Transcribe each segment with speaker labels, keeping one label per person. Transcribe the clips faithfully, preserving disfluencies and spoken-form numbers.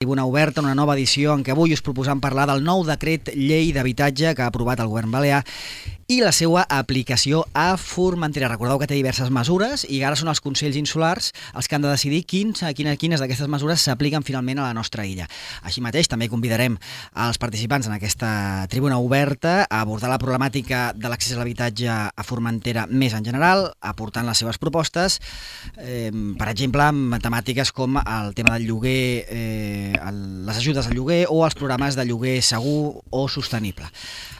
Speaker 1: Tribuna Oberta, una nova edició en què avui us proposam parlar del nou decret llei d'habitatge que ha aprovat el govern balear i la seva aplicació a Formentera. Recordeu que té diverses mesures i ara són els Consells Insulars els que han de decidir quins, quines, quines d'aquestes mesures s'apliquen finalment a la nostra illa. Així mateix, també convidarem als participants en aquesta Tribuna Oberta a abordar la problemàtica de l'accés a l'habitatge a Formentera més en general, aportant les seves propostes, eh, per exemple, amb temàtiques com el tema del lloguer, eh, les ajudes al lloguer o els programes de lloguer segur o sostenible.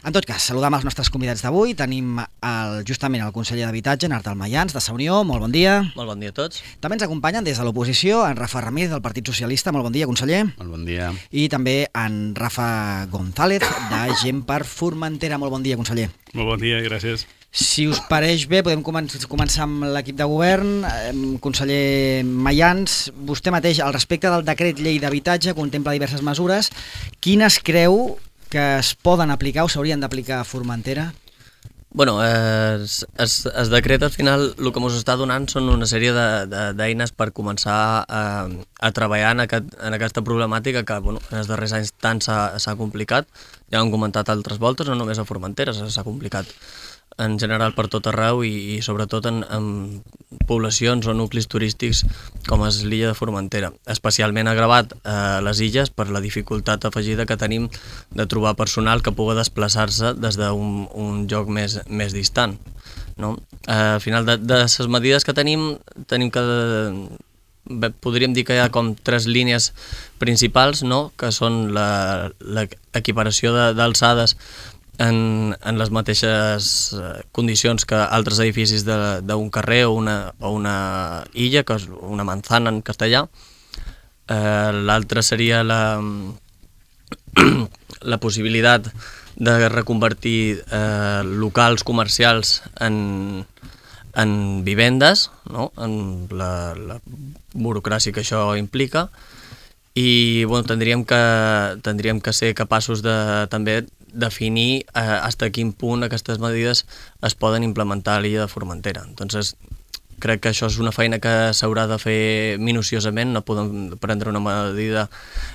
Speaker 1: En tot cas, saludam els nostres convidats d'avui. Tenim el, justament el conseller d'Habitatge, en Artal Mayans, de Sa Unió. Molt bon dia.
Speaker 2: Molt bon dia a tots.
Speaker 1: També ens acompanyen des de l'oposició en Rafa Ramírez, del Partit Socialista. Molt bon dia, conseller.
Speaker 3: Molt bon dia.
Speaker 1: I també en Rafa González, de Gent per Formentera. Molt bon dia, conseller.
Speaker 3: Molt bon dia, gràcies.
Speaker 1: Si us pareix bé, podem començar amb l'equip de govern. Conseller Mayans, vostè mateix, al respecte del decret llei d'habitatge, contempla diverses mesures. Quines creu que es poden aplicar o s'haurien d'aplicar a Formentera?
Speaker 2: Bueno, es, es, es decret al final el que ens està donant són una sèrie d'eines per començar a, a treballar en, aquest, en aquesta problemàtica que bueno, en els darrers anys tant s'ha complicat. Ja ho hem comentat altres voltes, no només a Formentera s'ha complicat en general per tot arreu i, i sobretot en, en poblacions o nuclis turístics com és l'illa de Formentera, especialment agravat a les illes per la dificultat afegida que tenim de trobar personal que pugui desplaçar-se des d'un un lloc més, més distant. No? Al final de, de les medides que tenim, tenim que bé, podríem dir que hi ha com tres línies principals, no? Que són l'equiparació d'alçades En, en les mateixes condicions que altres edificis d'un carrer o una, o una illa, que és una manzana en castellà. Eh, L'altra seria la, la possibilitat de reconvertir eh, locals comercials en, en vivendes, no? En la, la burocràcia que això implica. I bueno, tindríem que, tindríem que ser capaços de també definir eh, fins a quin punt aquestes medides es poden implementar a l'illa de Formentera. Entonces, crec que això és una feina que s'haurà de fer minuciosament, no podem prendre una medida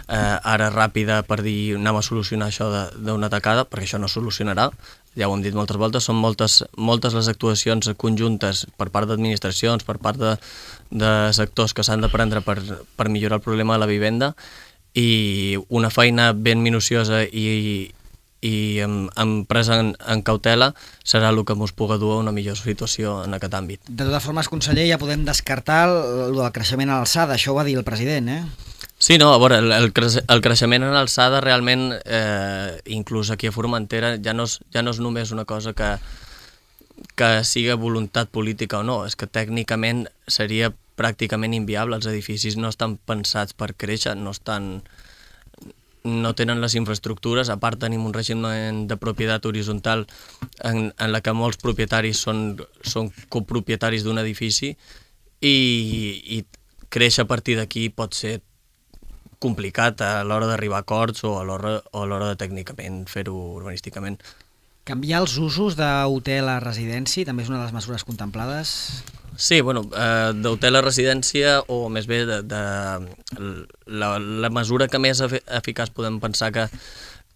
Speaker 2: eh, ara ràpida per dir anem a solucionar això d'una tacada, perquè això no solucionarà, ja ho hem dit moltes voltes, són moltes, moltes les actuacions conjuntes per part d'administracions, per part de, de sectors que s'han de prendre per, per millorar el problema de la vivenda, i una feina ben minuciosa i i amb, amb presa en, en cautela serà el que ens pugui dur a una millor situació en aquest àmbit.
Speaker 1: De totes formes, conseller, ja podem descartar el, el creixement a l'alçada, això ho va dir el president, eh?
Speaker 2: Sí, no, a veure, el, el, cre el creixement en alçada realment, eh, inclús aquí a Formentera, ja no és, ja no és només una cosa que, que siga voluntat política o no, és que tècnicament seria pràcticament inviable, els edificis no estan pensats per créixer, no estan... no tenen les infraestructures, a part tenim un règim de propietat horitzontal en, en la que molts propietaris són, són copropietaris d'un edifici i, i créixer a partir d'aquí pot ser complicat a l'hora d'arribar a acords o a l'hora de tècnicament fer-ho urbanísticament.
Speaker 1: Canviar els usos d'hotel a residència també és una de les mesures contemplades?
Speaker 2: Sí, bueno, eh, d'hotel a residència o més bé de, de la, la mesura que més eficaç podem pensar que,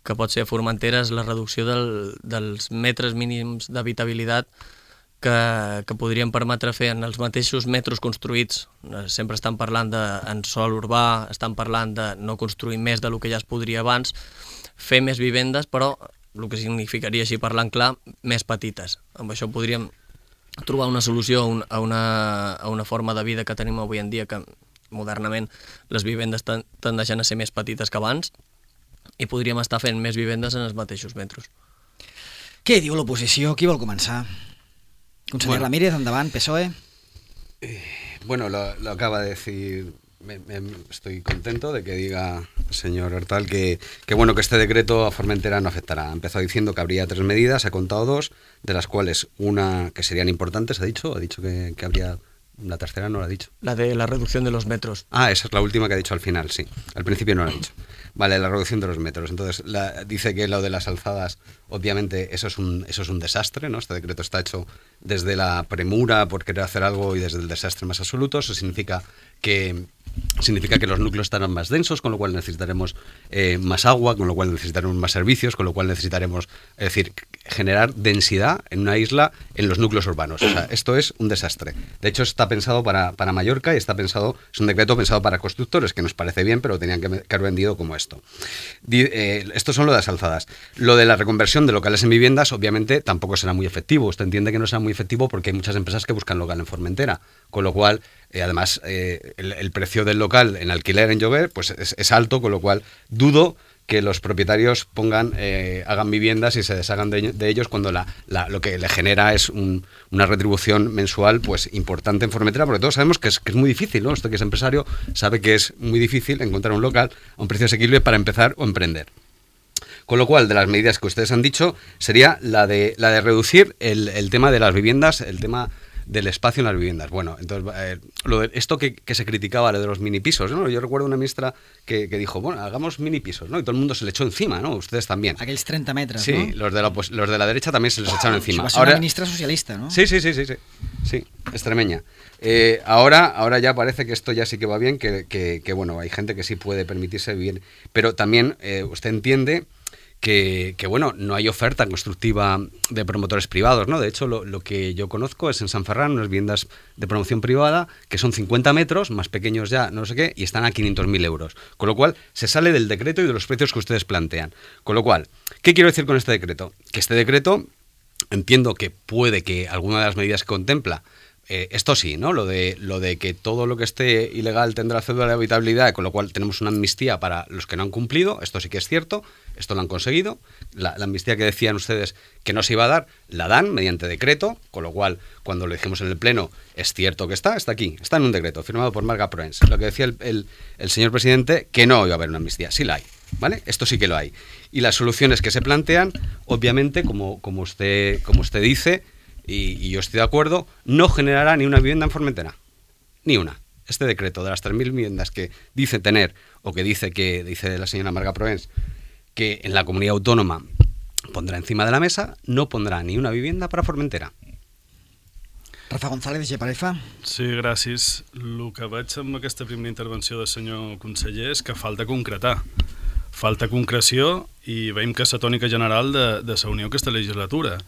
Speaker 2: que pot ser a Formentera és la reducció del, dels metres mínims d'habitabilitat que, que podrien permetre fer en els mateixos metres construïts. Sempre estan parlant de, en sòl urbà, estan parlant de no construir més del que ja es podria abans, fer més vivendes, però el que significaria, així parlant clar, més petites. Amb això podríem trobar una solució a una, a una forma de vida que tenim avui en dia, que modernament les vivendes tendeixen a ser més petites que abans, i podríem estar fent més vivendes en els mateixos metres.
Speaker 1: Què diu l'oposició? Qui vol començar? Conseller bueno. Ramírez, endavant, P S O E.
Speaker 4: Eh, bueno, lo, lo acaba de decir... Me, me, estoy contento de que diga el señor Artal que, que bueno que este decreto a Formentera no afectará. Ha empezado diciendo que habría tres medidas, ha contado dos, de las cuales una que serían importantes, ha dicho, ha dicho que, que habría... La tercera no lo ha dicho.
Speaker 2: La de la reducción de los metros.
Speaker 4: Ah, esa es la última que ha dicho al final, sí. Al principio no lo ha dicho. Vale, la reducción de los metros. Entonces, la, dice que lo de las alzadas, obviamente, eso es un eso es un desastre, ¿no? Este decreto está hecho desde la premura por querer hacer algo y desde el desastre más absoluto. Eso significa que significa que los núcleos estarán más densos, con lo cual necesitaremos eh, más agua, con lo cual necesitaremos más servicios, con lo cual necesitaremos, es decir, generar densidad en una isla en los núcleos urbanos. O sea, esto es un desastre. De hecho, está pensado para, para Mallorca y está pensado, es un decreto pensado para constructores, que nos parece bien, pero tenían que, que haber vendido como esto. Di, eh, esto son lo de las alzadas. Lo de la reconversión de locales en viviendas, obviamente, tampoco será muy efectivo. Usted entiende que no será muy efectivo porque hay muchas empresas que buscan local en Formentera, con lo cual, eh, además, eh, el, el precio del local en alquiler en llover pues es, es alto, con lo cual dudo que los propietarios pongan eh, hagan viviendas y se deshagan de, de ellos cuando la, la, lo que le genera es un, una retribución mensual pues importante en Formentera, porque todos sabemos que es, que es muy difícil, ¿no? Usted que es empresario sabe que es muy difícil encontrar un local a un precio asequible para empezar o emprender. Con lo cual, de las medidas que ustedes han dicho, sería la de, la de reducir el, el tema de las viviendas, el tema del espacio en las viviendas. Bueno, entonces, eh, lo de, esto que, que se criticaba, lo de los mini pisos, ¿no? Yo recuerdo una ministra que, que dijo, bueno, hagamos mini pisos, ¿no? Y todo el mundo se le echó encima, ¿no? Ustedes también.
Speaker 1: Aquells treinta metres,
Speaker 4: sí,
Speaker 1: ¿no?
Speaker 4: Sí, los, de la, pues, los de la derecha también se les echaron encima.
Speaker 1: Va ser ahora, una ministra socialista, ¿no?
Speaker 4: Sí, sí, sí, sí, sí, sí, extremeña. Eh, ahora, ahora ya parece que esto ya sí que va bien, que, que, que bueno, hay gente que sí puede permitirse vivir, pero también eh, usted entiende Que, que, bueno, no hay oferta constructiva de promotores privados, ¿no? De hecho, lo, lo que yo conozco es en San Ferran, unas viviendas de promoción privada que son cincuenta metros, más pequeños ya, no sé qué, y están a quinientos mil euros. Con lo cual, se sale del decreto y de los precios que ustedes plantean. Con lo cual, ¿qué quiero decir con este decreto? Que este decreto, entiendo que puede que alguna de las medidas que contempla, Eh, esto sí, ¿no? Lo de, lo de que todo lo que esté ilegal tendrá cédula de habitabilidad, con lo cual tenemos una amnistía para los que no han cumplido, esto sí que es cierto, esto lo han conseguido, la, la amnistía que decían ustedes que no se iba a dar, la dan mediante decreto, con lo cual, cuando lo dijimos en el Pleno, es cierto que está, está aquí, está en un decreto, firmado por Marga Proens. Lo que decía el, el, el señor presidente, que no iba a haber una amnistía, sí la hay, ¿vale? Esto sí que lo hay. Y las soluciones que se plantean, obviamente, como, como, usted, como usted dice, Y, y yo estoy de acuerdo, no generará ni una vivienda en Formentera, ni una. Este decreto de las tres mil viviendas que dice tener, o que dice que dice la señora Marga Proens, que en la comunidad autónoma pondrá encima de la mesa, no pondrà ni una vivienda para Formentera.
Speaker 1: Rafa González, de Parefa.
Speaker 3: Sí, gràcies. El que veig amb aquesta primera intervenció del senyor conseller és que falta concretar. Falta concreció i veiem que és la tònica general de, de la Unió aquesta legislatura.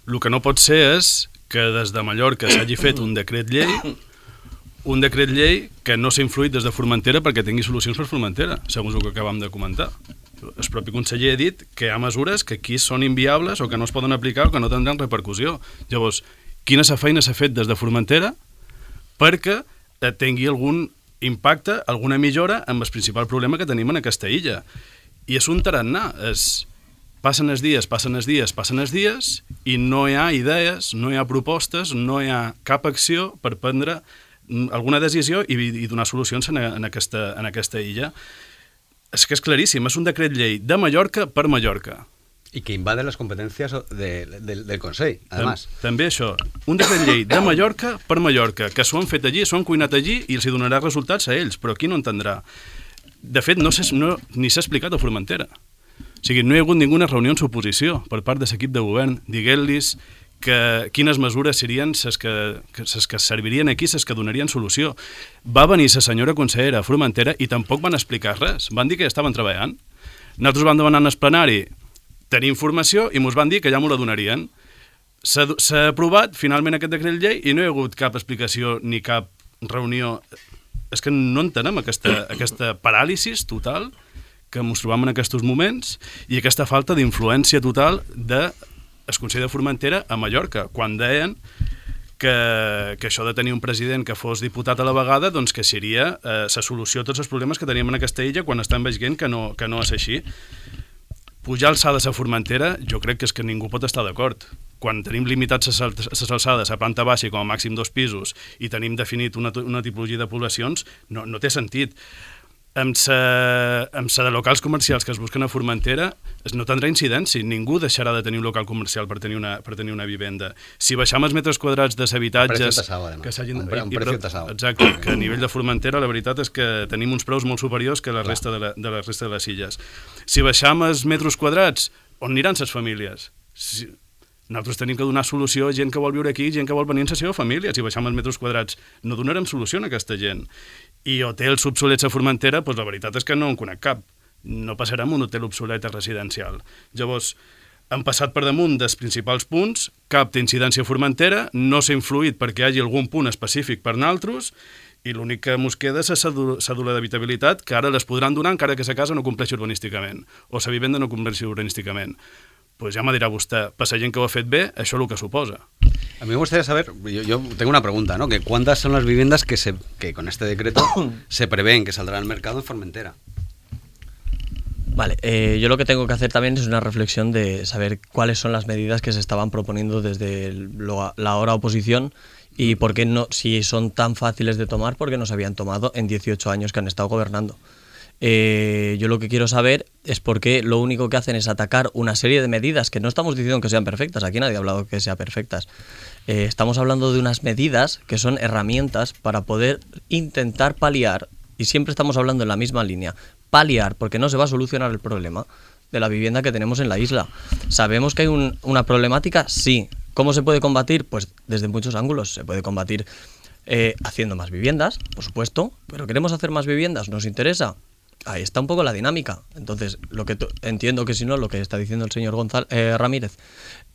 Speaker 3: El que no pot ser és que des de Mallorca s'hagi fet un decret llei, un decret llei que no s'ha influït des de Formentera perquè tingui solucions per Formentera, segons el que acabam de comentar. El propi conseller ha dit que hi ha mesures que aquí són inviables o que no es poden aplicar o que no tindran repercussió. Llavors, quina feina s'ha fet des de Formentera perquè tingui algun impacte, alguna millora amb el principal problema que tenim en aquesta illa. I és un tarannà, és... Passen els dies, passen els dies, passen els dies i no hi ha idees, no hi ha propostes, no hi ha cap acció per prendre alguna decisió i, i donar solucions en, en, aquesta, en aquesta illa. És que és claríssim, és un decret llei de Mallorca per Mallorca.
Speaker 4: I que invade les competències de, de, del Consell, además.
Speaker 3: També això, un decret llei de Mallorca per Mallorca, que s'ho han fet allí, s'ho han cuinat allí i els donarà resultats a ells, però aquí no entendrà. De fet, no, no, ni s'ha explicat a Formentera. O sigui, no hi ha hagut ninguna reunió en suposició per part de l'equip de govern dient-los que quines mesures serien les que, que, que servirien aquí, les que donarien solució. Va venir la senyora consellera a Formentera i tampoc van explicar res. Van dir que ja estaven treballant. Nosaltres vam demanar en el plenari tenir informació i ens van dir que ja m'ho la donarien. S'ha aprovat finalment aquest decret llei i no hi ha hagut cap explicació ni cap reunió. És que no entenem aquesta, aquesta paràlisi total que ens trobam en aquests moments i aquesta falta d'influència total del Consell de Formentera a Mallorca, quan deien que, que això de tenir un president que fos diputat a la vegada doncs que seria eh, la solució a tots els problemes que teníem en aquesta illa quan estan veient que no, que no és així. Pujar alçades a Formentera jo crec que és que ningú pot estar d'acord. Quan tenim limitats les alçades a planta baixa i com a màxim dos pisos i tenim definit una, una tipologia de poblacions, no, no té sentit. Amb la de locals comercials que es busquen a Formentera no tindrà incidència, ningú deixarà de tenir un local comercial per tenir una, per tenir una vivenda. Si baixam els metres quadrats de l'habitatges...
Speaker 4: Que s'hagin... Un, pre un precio tasado.
Speaker 3: Exacte, que a nivell de Formentera la veritat és que tenim uns preus molt superiors que la resta de, la, de la resta de les illes. Si baixam els metres quadrats, on aniran les famílies? Si, Nosaltres tenim que donar solució a gent que vol viure aquí, gent que vol venir amb la seva família. Si baixem els metres quadrats, no donarem solució a aquesta gent. I hotels obsolets a Formentera, doncs la veritat és que no en conec cap. No passarem un hotel obsolet residencial. Llavors, han passat per damunt dels principals punts, cap té incidència a Formentera, no s'ha influït perquè hi hagi algun punt específic per naltros, i l'únic que mos queda és la cèdula d'habitabilitat, que ara les podran donar encara que la casa no compleixi urbanísticament, o la vivenda no compleixi urbanísticament. Pues ya me dirá usted, para alguien que ho ha fet bé, això és el que suposa.
Speaker 4: A mí me gustaría saber, yo, yo tengo una pregunta, ¿no? Que ¿cuántas son las viviendas que, se, que con este decreto se prevén que saldrán al mercado en Formentera?
Speaker 2: Vale, eh, yo lo que tengo que hacer también es una reflexión de saber cuáles son las medidas que se estaban proponiendo desde lo, la ahora oposición y por qué no, si son tan fáciles de tomar, por qué no se habían tomado en dieciocho años que han estado gobernando. Eh, yo lo que quiero saber es por qué lo único que hacen es atacar una serie de medidas que no estamos diciendo que sean perfectas, aquí nadie ha hablado que sean perfectas. Eh, estamos hablando de unas medidas que son herramientas para poder intentar paliar, y siempre estamos hablando en la misma línea, paliar, porque no se va a solucionar el problema de la vivienda que tenemos en la isla. ¿Sabemos que hay un, una problemática? Sí. ¿Cómo se puede combatir? Pues desde muchos ángulos. Se puede combatir eh, haciendo más viviendas, por supuesto, pero ¿queremos hacer más viviendas? ¿Nos interesa? Ahí está un poco la dinámica. Entonces, lo que entiendo que si no, lo que está diciendo el señor González, eh, Ramírez,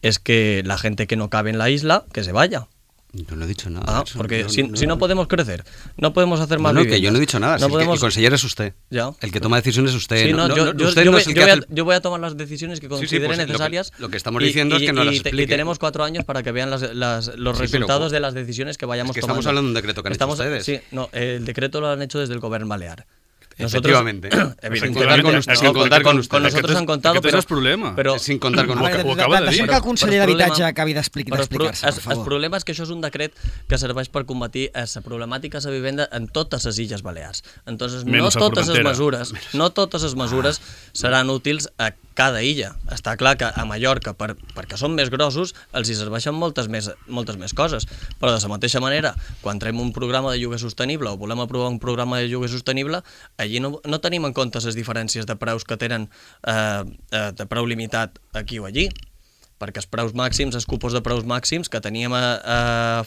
Speaker 2: es que la gente que no cabe en la isla, que se vaya.
Speaker 4: Yo no he dicho nada.
Speaker 2: Ah,
Speaker 4: eso,
Speaker 2: porque
Speaker 4: no,
Speaker 2: si,
Speaker 4: no,
Speaker 2: si no podemos crecer, no podemos hacer más
Speaker 4: no, no,
Speaker 2: viviendas.
Speaker 4: que yo no he dicho nada.
Speaker 2: No
Speaker 4: Si
Speaker 2: podemos...
Speaker 4: el, que, el conseller es usted.
Speaker 2: Ya.
Speaker 4: El que toma decisiones es usted.
Speaker 2: Sí, no,
Speaker 4: no,
Speaker 2: yo,
Speaker 4: no,
Speaker 2: yo,
Speaker 4: usted
Speaker 2: yo,
Speaker 4: no
Speaker 2: voy,
Speaker 4: es el
Speaker 2: yo,
Speaker 4: que
Speaker 2: voy
Speaker 4: hace
Speaker 2: a,
Speaker 4: el...
Speaker 2: yo voy a tomar las decisiones que considere
Speaker 4: sí, sí, pues,
Speaker 2: necesarias.
Speaker 4: Lo que, lo que estamos
Speaker 2: y,
Speaker 4: diciendo
Speaker 2: y,
Speaker 4: es que no
Speaker 2: y,
Speaker 4: las
Speaker 2: y,
Speaker 4: explique.
Speaker 2: y tenemos cuatro años para que vean las, las, los
Speaker 4: sí,
Speaker 2: resultados
Speaker 4: pero,
Speaker 2: de las decisiones que vayamos
Speaker 4: es que
Speaker 2: tomando.
Speaker 4: Estamos hablando de un decreto que han
Speaker 2: estamos,
Speaker 4: hecho ustedes.
Speaker 2: Sí, no, el decreto lo han hecho desde el Gobierno Balear.
Speaker 4: Efectivamente.
Speaker 2: Evidentemente,
Speaker 4: con,
Speaker 2: no,
Speaker 4: sin contar con,
Speaker 2: con, con nosotros han contado,
Speaker 3: aquest
Speaker 2: però...
Speaker 3: és el problema.
Speaker 2: Però,
Speaker 4: sin contar con
Speaker 1: veure,
Speaker 3: ho acaba de dir.
Speaker 1: Deixem que el conseller d'Habitatge acabi d'explicar-se, per favor.
Speaker 2: El problema és que això és un decret que serveix per combatir la problemàtica de la vivenda en totes les Illes Balears. Entonces, no totes les mesures, no totes les mesures seran útils a cada illa. Està clar que a Mallorca, per, perquè són més grossos, els hi serveixen moltes més, moltes més coses. Però de la mateixa manera, quan traiem un programa de lloguer sostenible o volem aprovar un programa de lloguer sostenible, allí no, no tenim en compte les diferències de preus que tenen eh, de preu limitat aquí o allí, perquè els preus màxims, els cupos de preus màxims que teníem a, a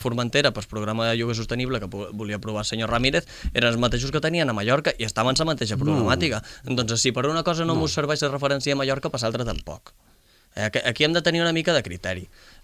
Speaker 2: Formentera per el programa de lloguer sostenible que volia aprovar el senyor Ramírez eren els mateixos que tenien a Mallorca i estaven la mateixa problemàtica. No. Doncs si per una cosa no, no. us serveix de referència a Mallorca, per l'altra tampoc. Aquí hem de tenir una mica de criteri.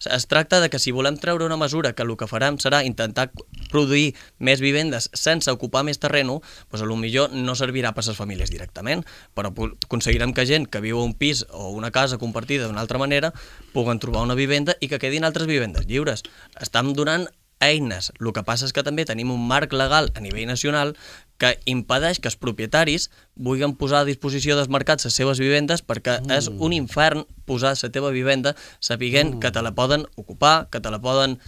Speaker 2: Es tracta de que si volem treure una mesura que el que farem serà intentar produir més vivendes sense ocupar més terreno, doncs potser no servirà per a les famílies directament, però aconseguirem que gent que viu a un pis o una casa compartida d'una altra manera puguen trobar una vivenda i que quedin altres vivendes lliures. Estem donant eines. El que passa és que també tenim un marc legal a nivell nacional que impedeix que els propietaris vulguin posar a disposició dels mercats les seves vivendes perquè mm. és un infern posar la teva vivenda sapiguent mm. que te la poden ocupar, que te la poden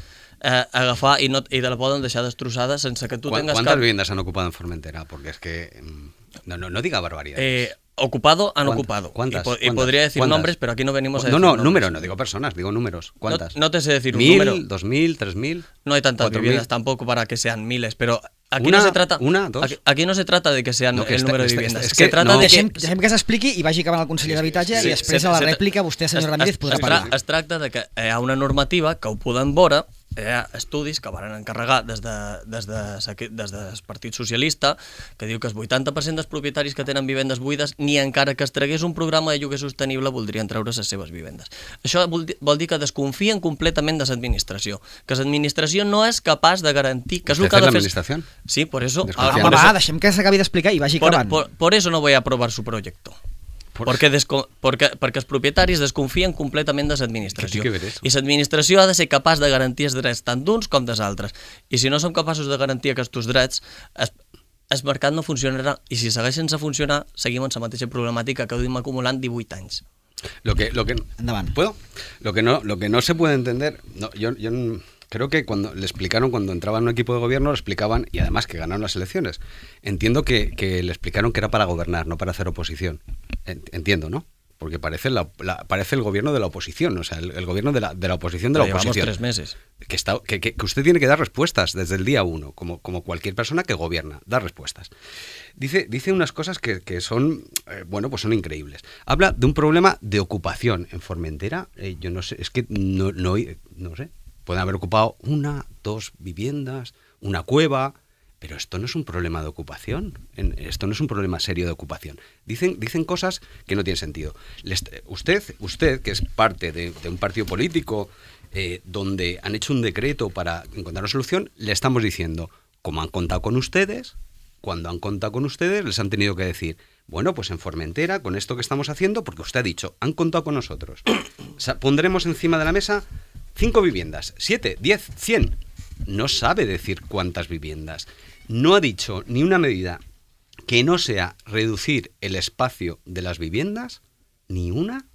Speaker 2: eh, agafar i, no, i te la poden deixar destrossada sense que tu
Speaker 4: ¿Cuántas
Speaker 2: tengas
Speaker 4: ¿Cuántas
Speaker 2: cap...
Speaker 4: viviendas han ocupado en Formentera? Porque es que... No, no, no diga barbaridades.
Speaker 2: Eh, ocupado han
Speaker 4: ¿Cuántas?
Speaker 2: ocupado.
Speaker 4: ¿Cuántas?
Speaker 2: Y, po
Speaker 4: ¿Cuántas?
Speaker 2: y podría decir
Speaker 4: ¿Cuántas?
Speaker 2: nombres, pero aquí no venimos a
Speaker 4: No,
Speaker 2: decir
Speaker 4: no,
Speaker 2: nombres.
Speaker 4: números, no digo personas, digo números. ¿Cuántas?
Speaker 2: No, no te sé decir un
Speaker 4: ¿Mil,
Speaker 2: número.
Speaker 4: dos mil, tres mil?
Speaker 2: No hay tantas
Speaker 4: cuatro
Speaker 2: viviendas
Speaker 4: mil.
Speaker 2: tampoco para que sean miles, pero aquí
Speaker 4: una,
Speaker 2: no se trata
Speaker 4: una, dos.
Speaker 2: Aquí, aquí no se trata de que sean
Speaker 4: no, que
Speaker 2: el
Speaker 4: este,
Speaker 2: número de
Speaker 4: este,
Speaker 2: viviendas.
Speaker 4: este, es
Speaker 2: se
Speaker 4: que
Speaker 2: trata
Speaker 4: no.
Speaker 2: de
Speaker 1: Deixem,
Speaker 2: que
Speaker 1: deixem que s'expliqui i vagi acabant el conseller d'Habitatge
Speaker 2: sí,
Speaker 1: i després
Speaker 2: se,
Speaker 1: a la
Speaker 2: se,
Speaker 1: rèplica vostè, senyor
Speaker 2: es,
Speaker 1: Ramírez,
Speaker 2: es,
Speaker 1: podrà
Speaker 2: es,
Speaker 1: parlar.
Speaker 2: Es tracta de que hi ha una normativa que ho podem veure, hi ha estudis que van encarregar des, de, des, de, des del Partit Socialista que diu que el vuitanta per cent dels propietaris que tenen vivendes buides ni encara que es tragués un programa de lloguer sostenible voldrien treure les seves vivendes. Això vol, vol dir que desconfien completament de l'administració, que l'administració no és capaç de garantir que és el que ha de fer...
Speaker 4: l'administració?
Speaker 2: Sí, por eso...
Speaker 1: Home,
Speaker 2: por
Speaker 1: va,
Speaker 2: eso,
Speaker 1: deixem que s'acabi d'explicar i vagi
Speaker 2: por,
Speaker 1: acabant.
Speaker 2: por, por eso no voy a aprobar su proyecto. Perquè, desco perquè, perquè els propietaris desconfien completament de l'administració. I l'administració ha de ser capaç de garantir els drets tant d'uns com dels altres. I si no som capaços de garantir aquests drets, el, el mercat no funcionarà. I si segueix sense funcionar, seguim en la mateixa problemàtica que duim acumulant divuit anys.
Speaker 4: Lo que, lo que, ¿Puedo? Lo que, no, lo que no se puede entender... No, yo, yo creo que cuando le explicaron, cuando entraba en un equipo de gobierno, le explicaban, y además que ganaron las elecciones, entiendo que, que le explicaron que era para gobernar, no para hacer oposición. Entiendo, ¿no? porque parece, la, la, parece el gobierno de la oposición, o sea, el, el gobierno de la, de la oposición de la
Speaker 2: Llevamos
Speaker 4: oposición.
Speaker 2: tres meses.
Speaker 4: Que, está, que, que, que usted tiene que dar respuestas desde el día uno, como, como cualquier persona que gobierna, dar respuestas. Dice, dice unas cosas que, que son, eh, bueno, pues son increíbles. Habla de un problema de ocupación en Formentera. Eh, yo no sé, es que no, no, no sé, pueden haber ocupado una, dos viviendas, una cueva... Pero esto no es un problema de ocupación, esto no es un problema serio de ocupación. Dicen, dicen cosas que no tienen sentido. Les, usted, usted, que es parte de, de un partido político eh, donde han hecho un decreto para encontrar una solución, le estamos diciendo, como han contado con ustedes, cuando han contado con ustedes, les han tenido que decir, bueno, pues en Formentera, con esto que estamos haciendo, porque usted ha dicho, han contado con nosotros. O sea, pondremos encima de la mesa cinco viviendas, siete, diez, cien. No sabe decir cuántas viviendas. No ha dicho ni una medida que no sea reducir el espacio de las viviendas, ni una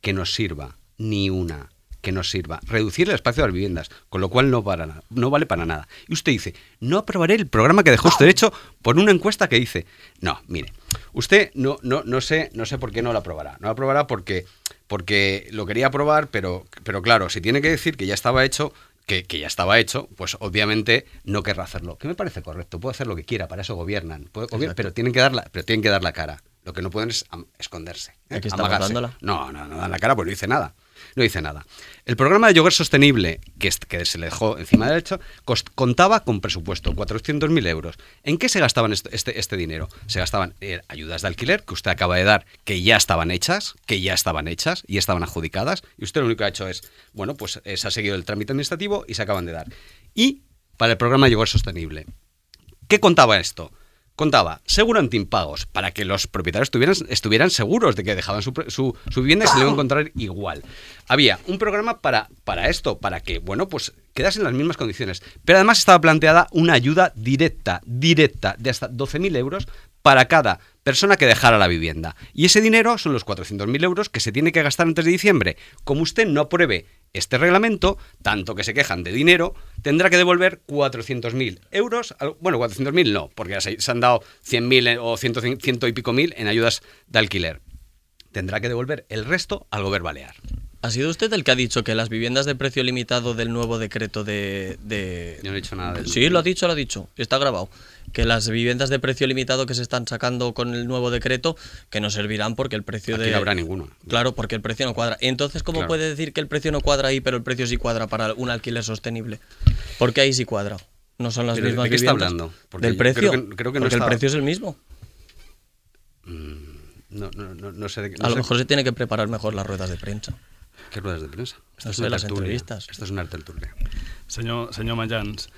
Speaker 4: que nos sirva, ni una que nos sirva. Reducir el espacio de las viviendas, con lo cual no, para nada, no vale para nada. Y usted dice, no aprobaré el programa que dejó usted hecho por una encuesta que dice, no, mire, usted no, no, no sé, no sé por qué no lo aprobará. No lo aprobará porque, porque lo quería aprobar, pero, pero claro, si tiene que decir que ya estaba hecho... Que, que ya estaba hecho, pues obviamente no querrá hacerlo. Que me parece correcto, puede hacer lo que quiera, para eso gobiernan. Puede, gobiernan pero, tienen que dar la, pero tienen que dar la cara. Lo que no pueden es am, esconderse. ¿eh?
Speaker 2: Aquí está dándola.
Speaker 4: No, no, no dan la cara, pues no dice nada. No dice nada. El programa de yogur sostenible, que, es, que se le dejó encima del hecho, cost, contaba con presupuesto, cuatrocientos mil euros. ¿En qué se gastaban este, este, este dinero? Se gastaban eh, ayudas de alquiler, que usted acaba de dar, que ya estaban hechas, que ya estaban hechas y estaban adjudicadas, y usted lo único que ha hecho es, bueno, pues eh, se ha seguido el trámite administrativo y se acaban de dar. Y para el programa de yogur sostenible, ¿qué contaba esto? Contaba seguro antiimpagos para que los propietarios estuvieran, estuvieran seguros de que dejaban su, su, su vivienda y se le iban a encontrar igual. Había un programa para, para esto, para que, bueno, pues quedasen en las mismas condiciones. Pero además estaba planteada una ayuda directa, directa, de hasta doce mil euros para cada persona que dejara la vivienda. Y ese dinero son los cuatrocientos mil euros que se tiene que gastar antes de diciembre. Como usted no apruebe este reglamento, tanto que se quejan de dinero, tendrá que devolver cuatrocientos mil euros. Bueno, cuatrocientos mil no, porque ya se, se han dado cien mil o cien, cien y pico mil en ayudas de alquiler. Tendrá que devolver el resto al gobierno balear.
Speaker 2: ¿Ha sido usted el que ha dicho que las viviendas de precio limitado del nuevo decreto de... de...
Speaker 4: Yo no he dicho nada de eso.
Speaker 2: Sí, lo ha dicho, lo ha dicho, está grabado. Que las viviendas de precio limitado que se están sacando con el nuevo decreto, que no servirán porque el precio
Speaker 4: Aquí
Speaker 2: de...
Speaker 4: no habrá ninguno.
Speaker 2: Claro, porque el precio no cuadra. Entonces, ¿cómo
Speaker 4: Claro.
Speaker 2: puede decir que el precio no cuadra ahí, pero el precio sí cuadra para un alquiler sostenible? Porque ahí sí cuadra. No son las
Speaker 4: ¿Pero
Speaker 2: mismas
Speaker 4: de qué está
Speaker 2: viviendas.
Speaker 4: hablando? Porque
Speaker 2: Del
Speaker 4: yo
Speaker 2: precio.
Speaker 4: creo que- creo que no
Speaker 2: porque
Speaker 4: está-
Speaker 2: el precio es el mismo.
Speaker 4: No, no, no, no sé de qué. No
Speaker 2: A lo
Speaker 4: sé-
Speaker 2: mejor se tiene que preparar mejor las ruedas de prensa.
Speaker 4: ¿Qué ruedas de prensa? Esto
Speaker 2: No
Speaker 4: es
Speaker 2: sé,
Speaker 4: una
Speaker 2: las
Speaker 4: tertulia.
Speaker 2: entrevistas.
Speaker 4: Esto es una tertulia.
Speaker 3: Senyor, senyor Majans,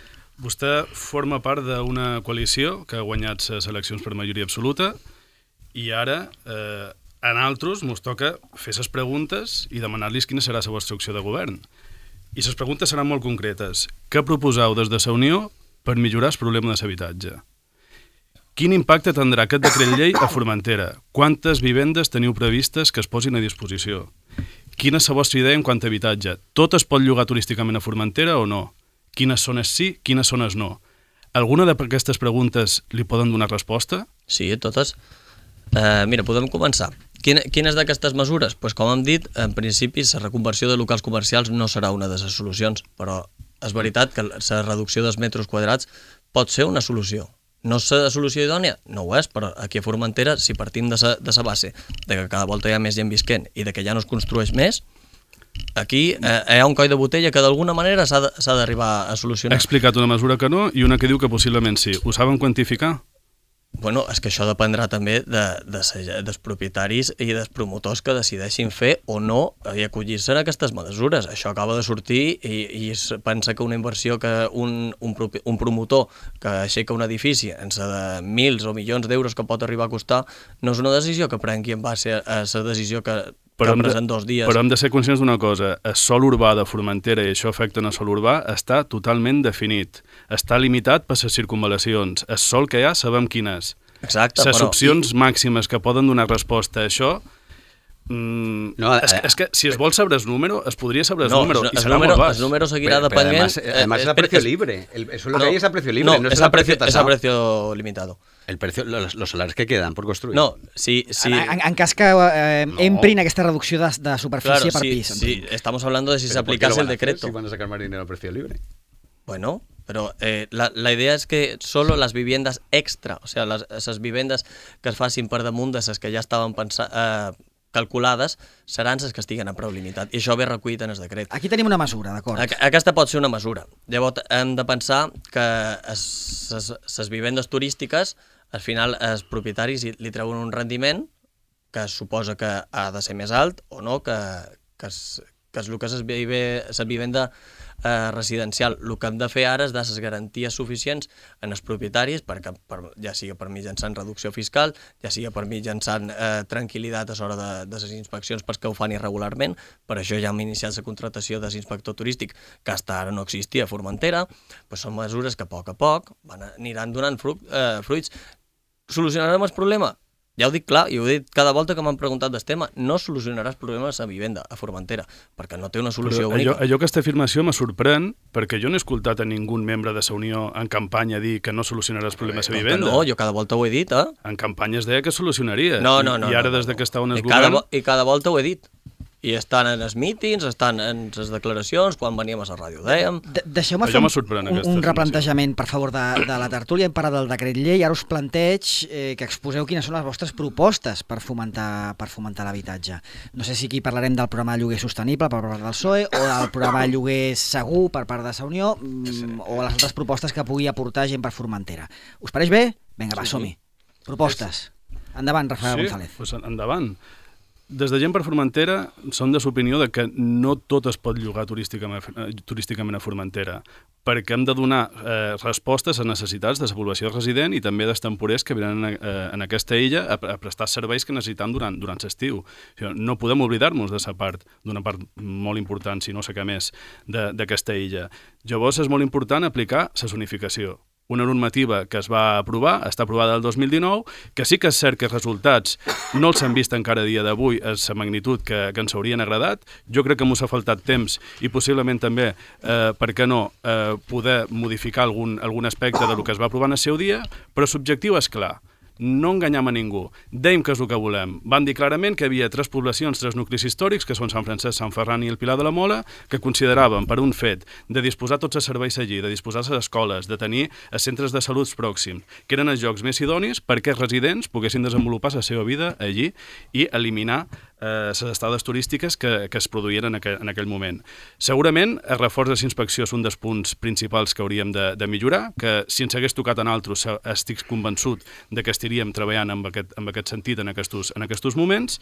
Speaker 3: vostè forma part d'una coalició que ha guanyat les eleccions per majoria absoluta i ara eh, a nosaltres ens toca fer les preguntes i demanar-los quina serà la vostra opció de govern. I les preguntes seran molt concretes. Què proposeu des de la Unió per millorar el problema de l'habitatge? Quin impacte tindrà aquest decret llei a Formentera? Quantes vivendes teniu previstes que es posin a disposició? Quina és la vostra idea en quant a habitatge? Tot es pot llogar turísticament a Formentera o no? Quines zones sí, quines zones no? Alguna d'aquestes preguntes li poden donar resposta?
Speaker 2: Sí, totes. Uh, mira, podem començar. Quina, quines d'aquestes mesures? Pues, com hem dit, en principi la reconversió de locals comercials no serà una de les solucions, però és veritat que la reducció dels metres quadrats pot ser una solució. No és la solució idònia? No ho és, però aquí a Formentera, si partim de sa, de sa base de que cada volta hi ha més gent visquent i de que ja no es construeix més, aquí eh, hi ha un coll de botella que d'alguna manera s'ha d'arribar a
Speaker 3: Ha
Speaker 2: solucionar.
Speaker 3: explicat una mesura que no i una que diu que possiblement sí. Ho saben quantificar?
Speaker 2: Bueno, és que això dependrà també de, de, de, dels propietaris i dels promotors que decideixin fer o no i acollir-se a aquestes mesures. Això acaba de sortir i, i es pensa que una inversió que un, un, un promotor que aixeca un edifici en de mils o milions d'euros que pot arribar a costar no és una decisió que prengui en base a la decisió que
Speaker 3: Però hem,
Speaker 2: que
Speaker 3: de,
Speaker 2: en dos dies.
Speaker 3: però hem de ser conscients d'una cosa. El sòl urbà de Formentera, i això afecta en el sòl urbà, està totalment definit. Està limitat per les circunvalacions. El sòl que hi ha sabem quin és.
Speaker 2: Exacte,
Speaker 3: Les
Speaker 2: però...
Speaker 3: opcions màximes que poden donar resposta a això Mm,
Speaker 4: No,
Speaker 3: és,
Speaker 4: eh,
Speaker 3: és que si es vol saber el número, es podria saber el
Speaker 2: No,
Speaker 3: número,
Speaker 2: el
Speaker 3: i serà
Speaker 2: número,
Speaker 3: molt baix.
Speaker 2: el número seguirá
Speaker 4: Pero- pero
Speaker 2: dependiendo...
Speaker 4: además, además es a precio libre. El- eso es lo que hay es a precio libre, no, es
Speaker 2: es
Speaker 4: a
Speaker 2: a
Speaker 4: precio
Speaker 2: precio, es a
Speaker 4: tasado.
Speaker 2: precio limitado.
Speaker 4: El precio, los, los salarios que quedan por construir.
Speaker 2: No, si... si
Speaker 1: En, en, en cas que eh,
Speaker 4: No.
Speaker 1: emprin aquesta reducció de, de superfície
Speaker 2: claro,
Speaker 1: per
Speaker 2: si,
Speaker 1: pis.
Speaker 2: si
Speaker 1: entenc.
Speaker 2: estamos hablando de si se
Speaker 4: Pero ¿por qué lo
Speaker 2: aplicase el
Speaker 4: van a hacer
Speaker 2: decreto.
Speaker 4: Si van a sacar más dinero a precio libre.
Speaker 2: Bueno, pero eh, la, la idea es que solo las viviendas extra, o sea, las, esas viviendas que es facin per damunt de les que ja estaven pensa, eh, calculades, seran les que estiguen a preu limitat. I això ve recollit en el decret.
Speaker 1: Aquí tenim una mesura, d'acord.
Speaker 2: Aqu- Aquesta pot ser una mesura. Llavors hem de pensar que les vivendes turístiques, al final els propietaris hi- li treuen un rendiment que es suposa que ha de ser més alt o no, que, que, es, que és el que és la vivenda eh, residencial. El que hem de fer ara és dar les garanties suficients en els propietaris, perquè, per, ja sigui per mitjançant reducció fiscal, ja sigui per mitjançant eh, tranquil·litat a l'hora de, de les inspeccions pels que ho fan irregularment. Per això ja hem iniciat la contractació de l'inspector turístic, que fins ara no existia a Formentera. Pues són mesures que a poc a poc van, aniran donant fru, eh, fruits. Solucionarem el problema? Ja ho dic clar, i ho he dit cada volta que m'han preguntat del tema, no solucionaràs problemes a vivenda, a Formentera, perquè no té una solució
Speaker 3: Però allò,
Speaker 2: única.
Speaker 3: allò aquesta afirmació me sorprèn perquè jo no he escoltat a ningú membre de la Unió en campanya dir que no solucionarà els problemes a
Speaker 2: Com que
Speaker 3: vivenda.
Speaker 2: no, jo cada volta ho he dit, eh?
Speaker 3: En campanya es deia que solucionaria.
Speaker 2: No, no, no.
Speaker 3: I, i ara,
Speaker 2: no, no,
Speaker 3: des de
Speaker 2: no.
Speaker 3: que està on es
Speaker 2: I cada,
Speaker 3: govern...
Speaker 2: vo- I cada volta ho he dit. I estan en els mítings, estan en les declaracions, quan veníem a la ràdio, dèiem...
Speaker 1: De Deixeu-me
Speaker 3: Allò
Speaker 1: fer un,
Speaker 3: m'sorprèn,
Speaker 1: un,
Speaker 3: aquesta
Speaker 1: un
Speaker 3: afirmació.
Speaker 1: replantejament, per favor, de, de la tertúlia. Hem parlat del decret llei, ara us planteig eh, que exposeu quines són les vostres propostes per fomentar, per fomentar l'habitatge. No sé si aquí parlarem del programa de lloguer sostenible per part del P S O E o del programa de lloguer segur per part de la Unió mm, o les altres propostes que pugui aportar gent per Formentera. Us pareix bé? Vinga, va,
Speaker 3: Sí, sí.
Speaker 1: som-hi. Propostes. Endavant, Rafael
Speaker 3: sí,
Speaker 1: González.
Speaker 3: Doncs endavant. Des de Gent per Formentera són de l'opinió de que no tot es pot llogar turísticament, eh, turísticament a Formentera, perquè hem de donar eh, respostes a necessitats de la població resident i també dels temporers que venen eh, en aquesta illa a, a prestar serveis que necessitem durant, durant l'estiu. O sigui, no podem oblidar-nos de sa part, d'una part molt important, si no sé què més, de- d'aquesta illa. Llavors és molt important aplicar la zonificació. Una normativa que es va aprovar, està aprovada el dos mil dinou, que sí que és cert que els resultats no els hem vist encara a dia d'avui a la magnitud que, que ens haurien agradat. Jo crec que m'ho ha faltat temps i possiblement també, eh, per què no, eh, poder modificar algun, algun aspecte del que es va aprovar en el seu dia, però l'objectiu és clar. No enganyam a ningú. Dèiem que és el que volem. Van dir clarament que hi havia tres poblacions, tres nuclis històrics, que són Sant Francesc, Sant Ferran i el Pilar de la Mola, que consideraven, per un fet, de disposar tots els serveis allí, de disposar les escoles, de tenir els centres de salut pròxims, que eren els llocs més idonis perquè els residents poguessin desenvolupar la seva vida allí i eliminar eh, les estades turístiques que, que es produïen en aquell, en aquell moment. Segurament, el reforç de la inspecció és un dels punts principals que hauríem de, de millorar, que si ens hagués tocat en altres, estic convençut de que estaríem treballant en aquest, en aquest sentit en aquests, en aquests moments.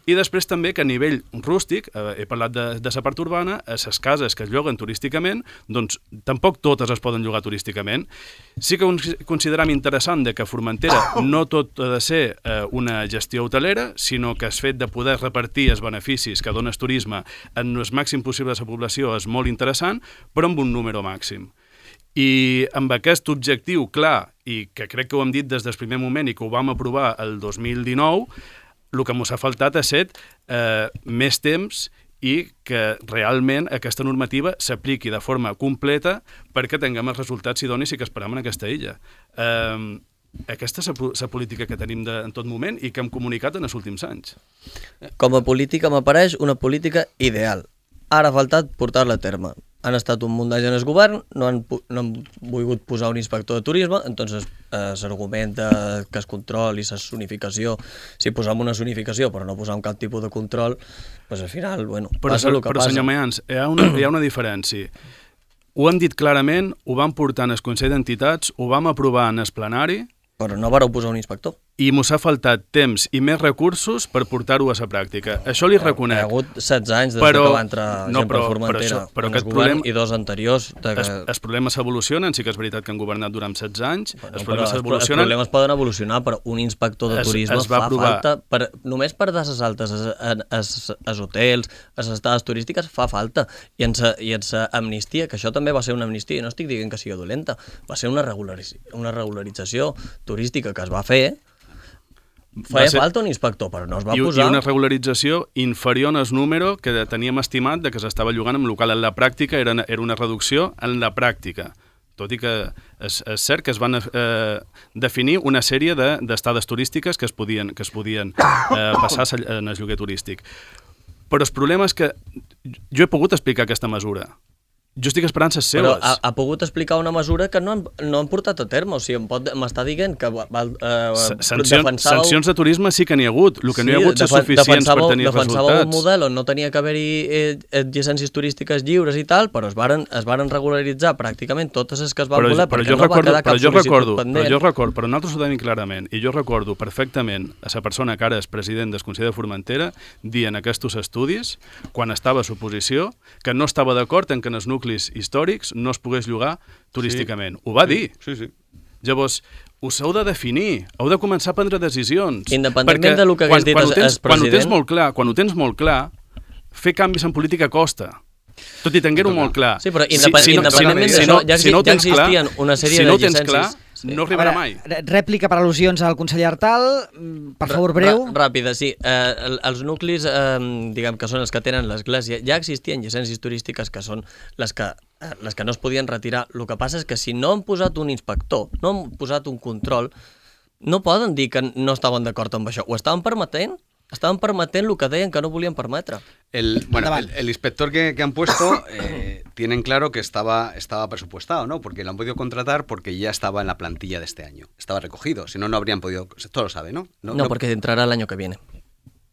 Speaker 3: I després també que a nivell rústic, eh, he parlat de, de la part urbana, a les cases que es lloguen turísticament, doncs tampoc totes es poden llogar turísticament. Sí que consideram interessant de que a Formentera no tot ha de ser eh, una gestió hotelera, sinó que el fet de poder repartir els beneficis que dona el turisme en el màxim possible de la població és molt interessant, però amb un número màxim. I amb aquest objectiu clar, i que crec que ho hem dit des del primer moment i que ho vam aprovar el dos mil dinou, el que ens ha faltat ha set eh, més temps i que realment aquesta normativa s'apliqui de forma completa perquè tinguem els resultats idonis i que esperam en aquesta illa. Eh, aquesta és la política que tenim de, en tot moment i que hem comunicat en els últims anys.
Speaker 2: Com a política m'apareix una política ideal. Ara ha faltat portar-la a terme. Han estat un munt d'anys en el govern, no han, no han volgut posar un inspector de turisme, entonces eh, s'argumenta que es control i la zonificació, si posam una zonificació però no posam cap tipus de control, pues al final, bueno,
Speaker 3: però,
Speaker 2: passa el que
Speaker 3: però,
Speaker 2: passa.
Speaker 3: senyor Mayans, hi ha, una, hi ha una diferència. Ho hem dit clarament, ho vam portar en el Consell d'Entitats, ho vam aprovar en el plenari,
Speaker 2: Però no vareu posar un inspector.
Speaker 3: i mos ha faltat temps i més recursos per portar-ho a la pràctica. Això li reconec.
Speaker 2: Hi ha hagut setze anys des
Speaker 3: Però-
Speaker 2: que va entrar
Speaker 3: no,
Speaker 2: gent per
Speaker 3: però-
Speaker 2: Formentera
Speaker 3: però això- però
Speaker 2: en el
Speaker 3: aquest
Speaker 2: govern
Speaker 3: problema-
Speaker 2: i dos anteriors. De que...
Speaker 3: Els, els problemes s'evolucionen, sí que és veritat que han governat durant setze anys,
Speaker 2: Bueno,
Speaker 3: els
Speaker 2: però
Speaker 3: problemes
Speaker 2: els, els
Speaker 3: s'evolucionen.
Speaker 2: problemes poden evolucionar, però un inspector de
Speaker 3: Es-
Speaker 2: turisme
Speaker 3: es va
Speaker 2: fa
Speaker 3: aprovar-
Speaker 2: falta, per, només per dar les altes als hotels, a les estades turístiques, fa falta. I en sa, i en sa amnistia, que això també va ser una amnistia, i no estic dient que sigui dolenta, va ser una, regularitz, una regularització turística que es va fer, Feia
Speaker 3: ser...
Speaker 2: falta un inspector, però no es va
Speaker 3: I,
Speaker 2: posar.
Speaker 3: I una regularització inferior al número que teníem estimat de que s'estava llogant en local. En la pràctica era, era una reducció en la pràctica. Tot i que és, és cert que es van eh, definir una sèrie d'estades turístiques que es podien, que es podien eh, passar en el lloguer turístic. Però el problema és que jo he pogut explicar aquesta mesura. Jo estic esperant les seves.
Speaker 2: Però ha, ha pogut explicar una mesura que no han, no han portat a terme. O sigui, m'està dient que val, eh,
Speaker 3: Sancions,
Speaker 2: defensàveu...
Speaker 3: sancions de turisme sí que n'hi ha hagut. El que
Speaker 2: sí,
Speaker 3: no hi ha hagut és suficients per tenir
Speaker 2: defensàveu
Speaker 3: resultats.
Speaker 2: Defensàveu un model on no tenia que haver-hi eh, llicències turístiques lliures i tal, però es varen, es varen regularitzar pràcticament totes les que es van
Speaker 3: però,
Speaker 2: voler,
Speaker 3: però
Speaker 2: perquè
Speaker 3: jo
Speaker 2: no
Speaker 3: recordo,
Speaker 2: va quedar cap
Speaker 3: però jo
Speaker 2: sol·licitud
Speaker 3: recordo,
Speaker 2: pendent.
Speaker 3: Però jo recordo, però nosaltres ho tenim clarament, i jo recordo perfectament a la persona que ara és president del Consell de Formentera dient aquests estudis, quan estava a l'oposició, que no estava d'acord en que en els nuclis històrics no es pogués llogar turísticament. Sí. Ho va dir.
Speaker 4: Sí, sí.
Speaker 3: Llavors, us heu de definir, heu de començar a prendre decisions.
Speaker 2: Independentment del que hagués dit el president...
Speaker 3: Quan ho tens molt clar, quan ho tens molt clar, fer canvis en política costa. Tot i tenir-ho molt clar.
Speaker 2: Sí, però independ si, si no, independentment
Speaker 3: si
Speaker 2: d'això,
Speaker 3: no,
Speaker 2: ja,
Speaker 3: si no
Speaker 2: ja
Speaker 3: clar,
Speaker 2: existien una sèrie
Speaker 3: si no
Speaker 2: de llicències...
Speaker 3: Clar, sí. No arribarà mai.
Speaker 1: Rèplica per al·lusions al conseller Artal, per favor, breu.
Speaker 2: Ràpida, sí. Eh, els nuclis, eh, diguem que són els que tenen l'església, ja existien llicències turístiques que són les que, eh, les que no es podien retirar. El que passa és que si no han posat un inspector, no han posat un control, no poden dir que no estaven d'acord amb això. Ho estaven permetent? Estaban permitiendo lo que deien que no volían permetre.
Speaker 4: El, bueno, el, el inspector que, que han puesto eh, tienen claro que estaba, estaba presupuestado, ¿no? Porque lo han podido contratar porque ya estaba en la plantilla de este año. Estaba recogido, si no, no habrían podido... Todo lo sabe, ¿no?
Speaker 2: No, no, no porque entrará el año que viene.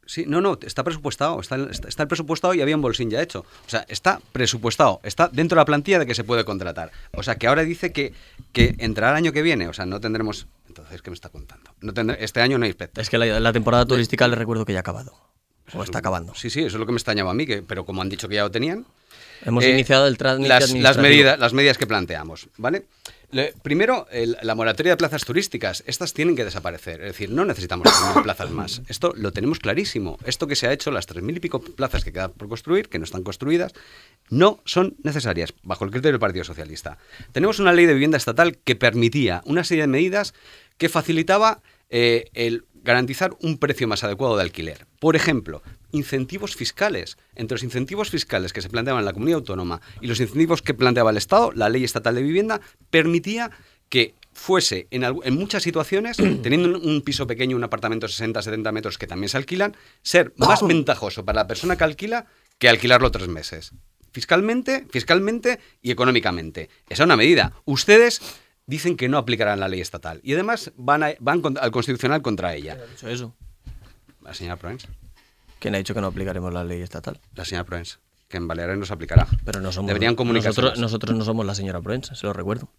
Speaker 4: Sí, no, no, está presupuestado, está, está el presupuestado y había un bolsín ya hecho. O sea, está presupuestado, está dentro de la plantilla de que se puede contratar. O sea, que ahora dice que, que entrará el año que viene, o sea, no tendremos... Entonces, ¿qué me está contando? No tendré, este año no hay inspector.
Speaker 2: Es que la, la temporada turística les recuerdo que ya ha acabado. Pues o está acabando.
Speaker 4: Sí, sí, eso es lo que me extrañaba a mí, que, pero como han dicho que ya lo tenían...
Speaker 2: Hemos eh, iniciado el trámite
Speaker 4: las, las, medidas, las medidas que planteamos, ¿vale? Le, primero, el, la moratoria de plazas turísticas, estas tienen que desaparecer. Es decir, no necesitamos tres mil plazas más. Esto lo tenemos clarísimo. Esto que se ha hecho, las tres mil y pico plazas que quedan por construir, que no están construidas, no son necesarias, bajo el criterio del Partido Socialista. Tenemos una ley de vivienda estatal que permitía una serie de medidas que facilitaba eh, el garantizar un precio más adecuado de alquiler. Por ejemplo, incentivos fiscales. Entre los incentivos fiscales que se planteaban en la comunidad autónoma y los incentivos que planteaba el Estado, la Ley Estatal de Vivienda permitía que fuese, en, en muchas situaciones, teniendo un, un piso pequeño, un apartamento de sesenta a setenta metros que también se alquilan, ser más ventajoso para la persona que alquila que alquilarlo tres meses. Fiscalmente, fiscalmente y económicamente. Esa es una medida. Ustedes... dicen que no aplicarán la ley estatal. Y además van, a, van al Constitucional contra ella.
Speaker 2: ¿Quién ha dicho eso?
Speaker 4: La señora Proens.
Speaker 2: ¿Quién ha dicho que no aplicaremos la ley estatal?
Speaker 4: La señora Proens, que en Baleares no se aplicará.
Speaker 2: Pero no somos...
Speaker 4: Deberían comunicarse
Speaker 2: nosotros, nosotros no somos la señora Proens, se lo recuerdo.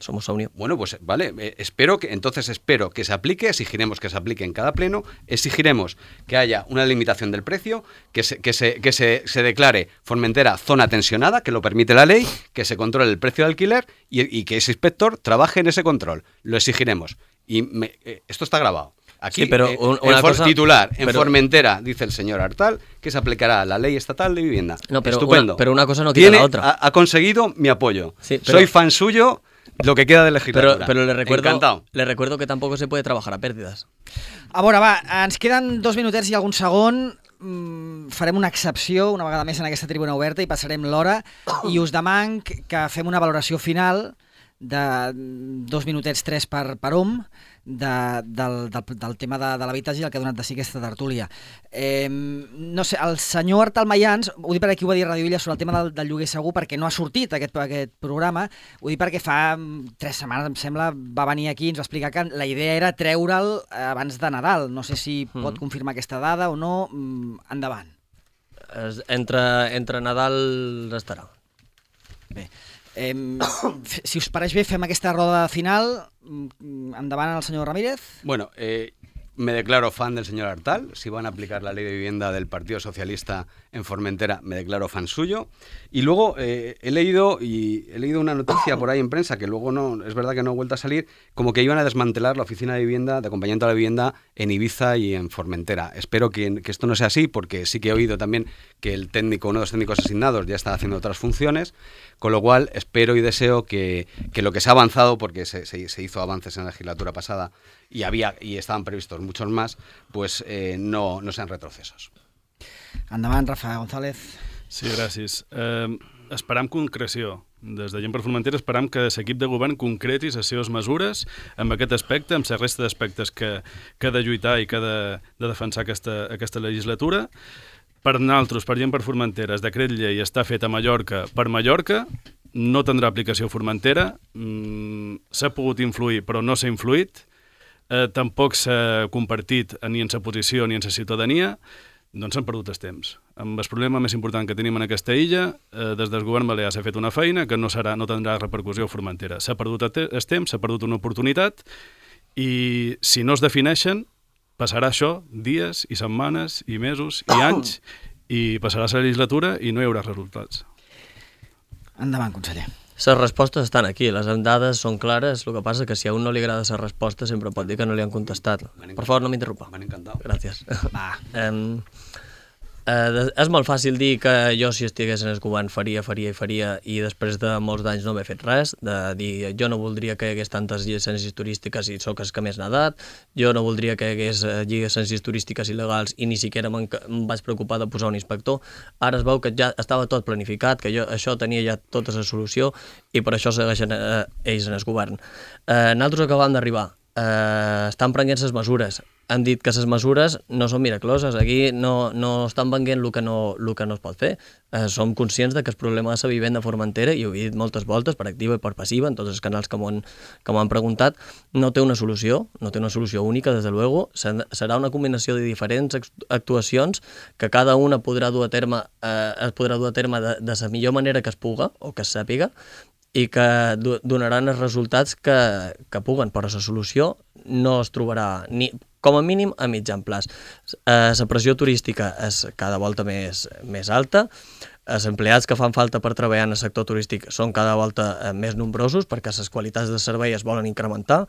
Speaker 2: Somos Unión.
Speaker 4: Bueno, pues vale, eh, espero que, entonces espero que se aplique, exigiremos que se aplique en cada pleno, exigiremos que haya una limitación del precio, que se, que se, que se, se declare Formentera zona tensionada, que lo permite la ley, que se controle el precio de alquiler y, y que ese inspector trabaje en ese control. Lo exigiremos. Y me, eh, esto está grabado. Aquí,
Speaker 2: sí, pero
Speaker 4: eh,
Speaker 2: un,
Speaker 4: una
Speaker 2: en
Speaker 4: cosa,
Speaker 2: cosa,
Speaker 4: titular, en
Speaker 2: pero,
Speaker 4: Formentera, dice el señor Artal, que se aplicará la ley estatal de vivienda.
Speaker 2: No, pero
Speaker 4: Estupendo.
Speaker 2: Una, pero una cosa no quita
Speaker 4: Tiene,
Speaker 2: la otra.
Speaker 4: Ha, ha conseguido mi apoyo.
Speaker 2: Sí, pero,
Speaker 4: Soy fan suyo. Lo que queda de legislatura.
Speaker 2: Pero, pero le, recuerdo,
Speaker 4: Encantado.
Speaker 2: le recuerdo que tampoco se puede trabajar a pérdidas.
Speaker 1: A veure, va, ens queden dos minutets i algun segon. Mm, farem una excepció una vegada més en aquesta tribuna oberta i passarem l'hora i us demanc que fem una valoració final de dos minutets, tres per, per hom, de, del, del, del tema de, de l'habitatge i el que ha donat de si aquesta tertúlia. Eh, no sé, el senyor Artal Mayans, ho dic perquè ho va dir Radio Villa sobre el tema del, del lloguer segur, perquè no ha sortit aquest, aquest programa, ho dic perquè fa tres setmanes, em sembla, va venir aquí i ens va explicar que la idea era treure'l abans de Nadal. No sé si mm. pot confirmar aquesta dada o no. Endavant.
Speaker 2: Entre, entre Nadal estarà.
Speaker 1: Bé. Eh, si us pareix bé, fem aquesta roda final. Endavant el senyor Ramírez.
Speaker 4: Bueno, eh, me declaro fan del señor Artal. Si van a aplicar la ley de vivienda del Partido Socialista en Formentera, me declaro fan suyo. Y luego eh, he leído y he leído una noticia por ahí en prensa que luego no, es verdad que no ha vuelto a salir, como que iban a desmantelar la oficina de vivienda, de acompañamiento a la vivienda en Ibiza y en Formentera. Espero que, que esto no sea así, porque sí que he oído también que el técnico, uno de los técnicos asignados ya está haciendo otras funciones, con lo cual espero y deseo que, que lo que se ha avanzado, porque se, se, se hizo avances en la legislatura pasada y había y estaban previstos muchos más, pues eh, no, no sean retrocesos.
Speaker 1: Endavant, Rafa González.
Speaker 3: Sí, gràcies. Eh, esperam concreció. Des de Gent per Formentera esperam que l'equip de govern concreti les seves mesures amb aquest aspecte, amb la resta d'aspectes que, que ha de lluitar i que ha de, de defensar aquesta, aquesta legislatura. Per nosaltres, per Gent per Formentera, el decret llei està fet a Mallorca per Mallorca, no tindrà aplicació a Formentera, mm, s'ha pogut influir però no s'ha influït, eh, tampoc s'ha compartit ni en la posició ni en la ciutadania, doncs s'han perdut el temps. Amb el problema més important que tenim en aquesta illa, eh, des del govern balear s'ha fet una feina que no, serà, no tindrà repercussió a Formentera. S'ha perdut el temps, s'ha perdut una oportunitat i si no es defineixen, passarà això dies i setmanes i mesos i anys i passarà la legislatura i no hi haurà resultats.
Speaker 1: Endavant, conseller.
Speaker 2: Les respostes estan aquí, les dades són clares, el que passa que si a un no li agrada la resposta sempre pot dir que no li han contestat. Per favor, no m'interrompa.
Speaker 4: M'han encantat.
Speaker 2: Gràcies.
Speaker 1: Va.
Speaker 2: Um, eh, és molt fàcil dir que jo si estigués en el govern faria, faria i faria i després de molts d'anys no m'he fet res, de dir jo no voldria que hi hagués tantes llicències turístiques i sóc el que més n'ha dat, jo no voldria que hi hagués llicències turístiques il·legals i ni siquiera em vaig preocupar de posar un inspector. Ara es veu que ja estava tot planificat, que jo, això tenia ja tota la solució i per això segueixen eh, ells en el govern. Eh, nosaltres acabam d'arribar, eh, estan prenent les mesures, han dit que les mesures no són miraculoses, aquí no, no estan venguent el que no, el que no es pot fer. Eh, som conscients de que el problema de la vivenda a Formentera, i ho he dit moltes voltes, per activa i per passiva, en tots els canals que m'ho han, que m'ho han preguntat, no té una solució, no té una solució única, des de luego, serà una combinació de diferents actuacions que cada una podrà dur a terme, eh, es podrà dur a terme de, de la millor manera que es puga, o que es sàpiga, i que donaran els resultats que, que puguen, però la solució no es trobarà ni, com a mínim a mitjan plaç. Eh, la pressió turística és cada volta més, més alta, els empleats que fan falta per treballar en el sector turístic són cada volta més nombrosos perquè les qualitats de servei es volen incrementar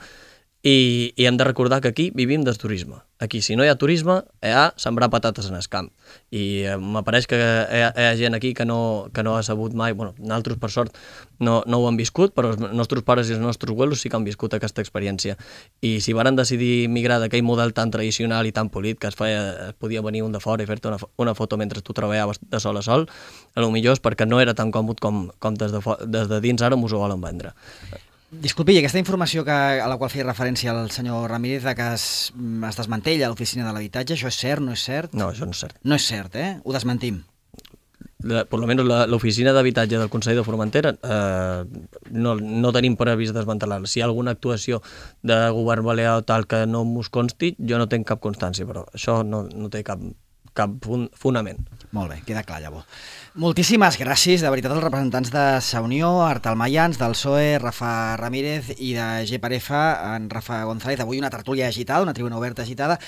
Speaker 2: i, i hem de recordar que aquí vivim del turisme. Aquí, si no hi ha turisme, hi ha sembrar patates en el camp. I eh, m'apareix que hi ha, hi ha gent aquí que no, que no ha sabut mai, bueno, nosaltres per sort no, no ho han viscut, però els nostres pares i els nostres abuelos sí que han viscut aquesta experiència. I si varen decidir migrar d'aquell model tan tradicional i tan polit que es, feia, es podia venir un de fora i fer-te una, una foto mentre tu treballaves de sol a sol, a lo millor és perquè no era tan còmode com, com des, de, des de dins ara m'ho volen vendre.
Speaker 1: Disculpi, aquesta informació que, a la qual feia referència el senyor Ramírez, de que es, es desmantella l'oficina de l'habitatge, això és cert, no és cert?
Speaker 2: No, això no és cert.
Speaker 1: No és cert, eh? Ho desmentim.
Speaker 2: La, per almenys l'oficina d'habitatge del Consell de Formentera eh, no, no tenim previst desmantelar-la. Si hi ha alguna actuació de govern balear o tal que no mos consti, jo no tinc cap constància, però això no, no té cap, cap fonament.
Speaker 1: Molt bé, queda clar, llavors. Moltíssimes gràcies, de veritat, als representants de Sa Unió, Artal Mayans, del P S O E, Rafa Ramírez, i de G per F, en Rafa González. Avui una tertúlia agitada, una tribuna oberta agitada.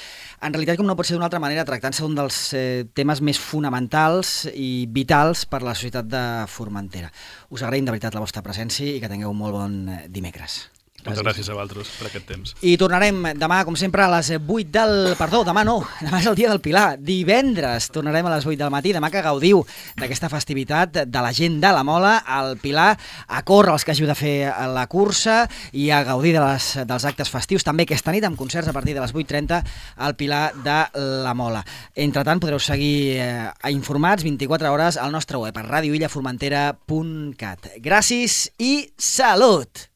Speaker 1: En realitat, com no pot ser d'una altra manera, tractant-se d'un dels eh, temes més fonamentals i vitals per a la societat de Formentera. Us agraïm de veritat la vostra presència i que tingueu un molt bon dimecres.
Speaker 3: Moltes gràcies a vosaltres per aquest temps.
Speaker 1: I tornarem demà, com sempre, a les vuit del... Perdó, demà no, demà és el dia del Pilar. Divendres tornarem a les vuit del matí, demà que gaudiu d'aquesta festivitat de la gent de la Mola, al Pilar, a córrer els que hàgiu de fer la cursa i a gaudir de les, dels actes festius, també aquesta nit amb concerts a partir de les vuit trenta al Pilar de la Mola. Entretant, podreu seguir eh, informats vint-i-quatre hores al nostre web, a radio illa formentera punt cat. Gràcies i salut!